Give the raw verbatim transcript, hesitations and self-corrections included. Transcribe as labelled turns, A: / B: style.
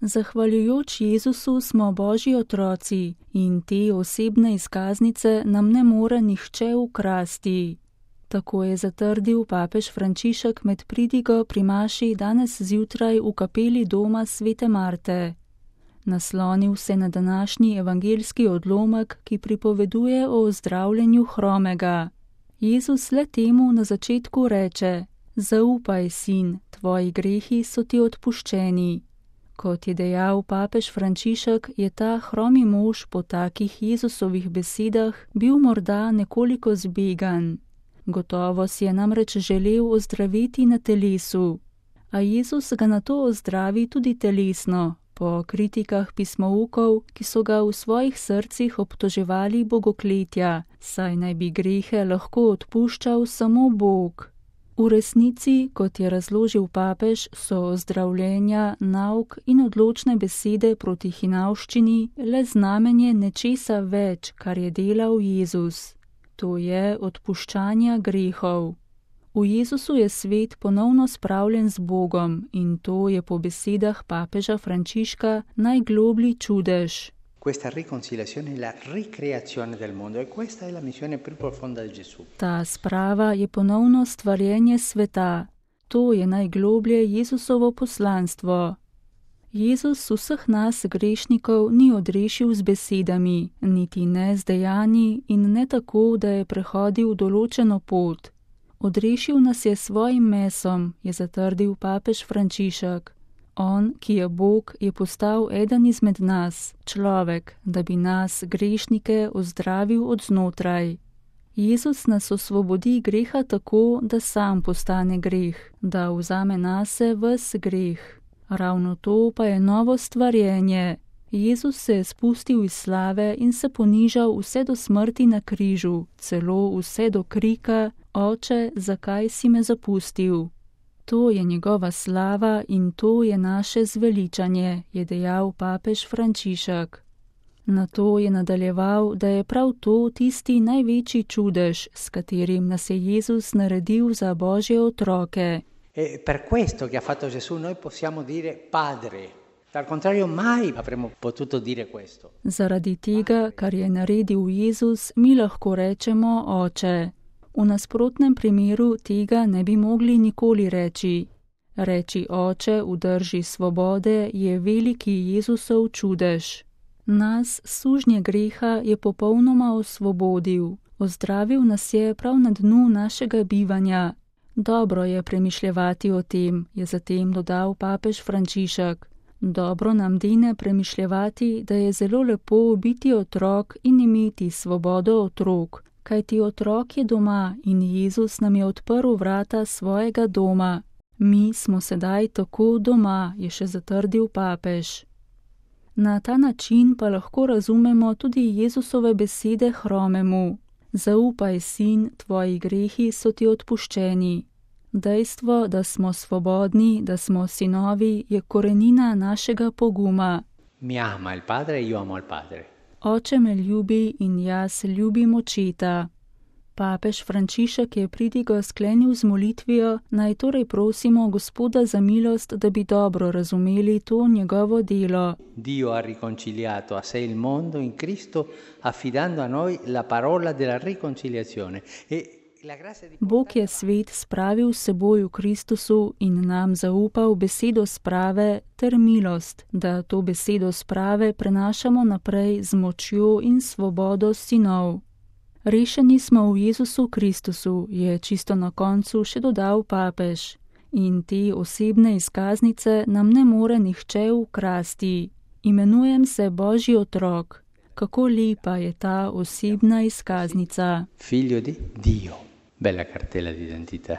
A: Zahvaljujoč Jezusu smo Božji otroci in te osebne izkaznice nam ne more nihče ukrasti. Tako je zatrdil papež Frančišek med pridigo pri maši danes zjutraj v kapeli doma svete Marte. Naslonil se na današnji evangeljski odlomek, ki pripoveduje o ozdravljenju hromega. Jezus le temu na začetku reče: Zaupaj, sin, tvoji grehi so ti odpuščeni. Kot je dejal papež Frančišek, je ta hromi mož po takih Jezusovih besedah bil morda nekoliko zbegan. Gotovo si je namreč želel ozdraviti na telesu. A Jezus ga nato ozdravi tudi telesno, po kritikah pismoukov, ki so ga v svojih srcih obtoževali bogokletja, saj naj bi grehe lahko odpuščal samo Bog. V resnici, kot je razložil papež, so ozdravljenja, nauk in odločne besede proti hinavščini le znamenje nečesa več, kar je delal Jezus. To je odpuščanja grehov. V Jezusu je svet ponovno spravljen z Bogom in to je po besedah papeža Frančiška najgloblji čudež.
B: Questa riconciliazione è la ricreazione del mondo e questa è la missione più profonda di Gesù.
A: Ta sprava je ponovno stvarjenje sveta. To je najgloblje Jezusovo poslanstvo. Jezus vseh nas grešnikov ni odrešil z besedami, niti ne z dejanji in ne tako, da je prehodil določeno pot. Odrešil nas je svojim mesom, je zatrdil papež Frančišek. On, ki je Bog, je postal eden izmed nas, človek, da bi nas, grešnike, ozdravil od znotraj. Jezus nas osvobodi greha tako, da sam postane greh, da vzame nase ves greh. Ravno to pa je novo stvarjenje. Jezus se je spustil iz slave in se ponižal vse do smrti na križu, celo vse do krika: Oče, zakaj si me zapustil? To je njegova slava in to je naše zveličanje, je dejal papež Frančišek. Nato je nadaljeval, da je prav to tisti največji čudež, s katerim nas je Jezus naredil za Božje otroke.
B: E per questo che ha fatto Gesù noi possiamo dire Padre. Al contrario mai avremmo potuto dire questo.
A: Zaradi tega, kar je naredil Jezus, mi lahko rečemo Oče. V nasprotnem primeru tega ne bi mogli nikoli reči. Reči Oče v drži svobode je veliki Jezusov čudež. Nas, sužnje greha, je popolnoma osvobodil. Ozdravil nas je prav na dnu našega bivanja. Dobro je premišljevati o tem, je zatem dodal papež Frančišek. Dobro nam dene premišljevati, da je zelo lepo biti otrok in imeti svobodo otrok. Kajti otrok je doma in Jezus nam je odprl vrata svojega doma. Mi smo sedaj tako doma, je še zatrdil papež. Na ta način pa lahko razumemo tudi Jezusove besede hromemu. Zaupaj, sin, tvoji grehi so ti odpuščeni. Dejstvo, da smo svobodni, da smo sinovi, je korenina našega poguma.
B: Mi ama il padre e io amo il padre.
A: Oče me ljubi in jaz ljubim očeta. Papež Frančišek je pridigo sklenil z molitvijo, naj torej prosimo Gospoda za milost, da bi dobro razumeli to njegovo delo.
B: Dio ha riconciliato a sé il mondo in Cristo, affidando a noi la parola della riconciliazione. E la grazia di
A: Bog je svet spravil s seboj v Kristusu in nam zaupal besedo sprave ter milost, da to besedo sprave prenašamo naprej z močjo in svobodo sinov. Rešeni smo v Jezusu Kristusu, je čisto na koncu še dodal papež. In te osebne izkaznice nam ne more nihče ukrasti. Imenujem se Božji otrok. Kako lepa je ta osebna izkaznica.
B: Figlio di Dio. Bella cartella d'identità.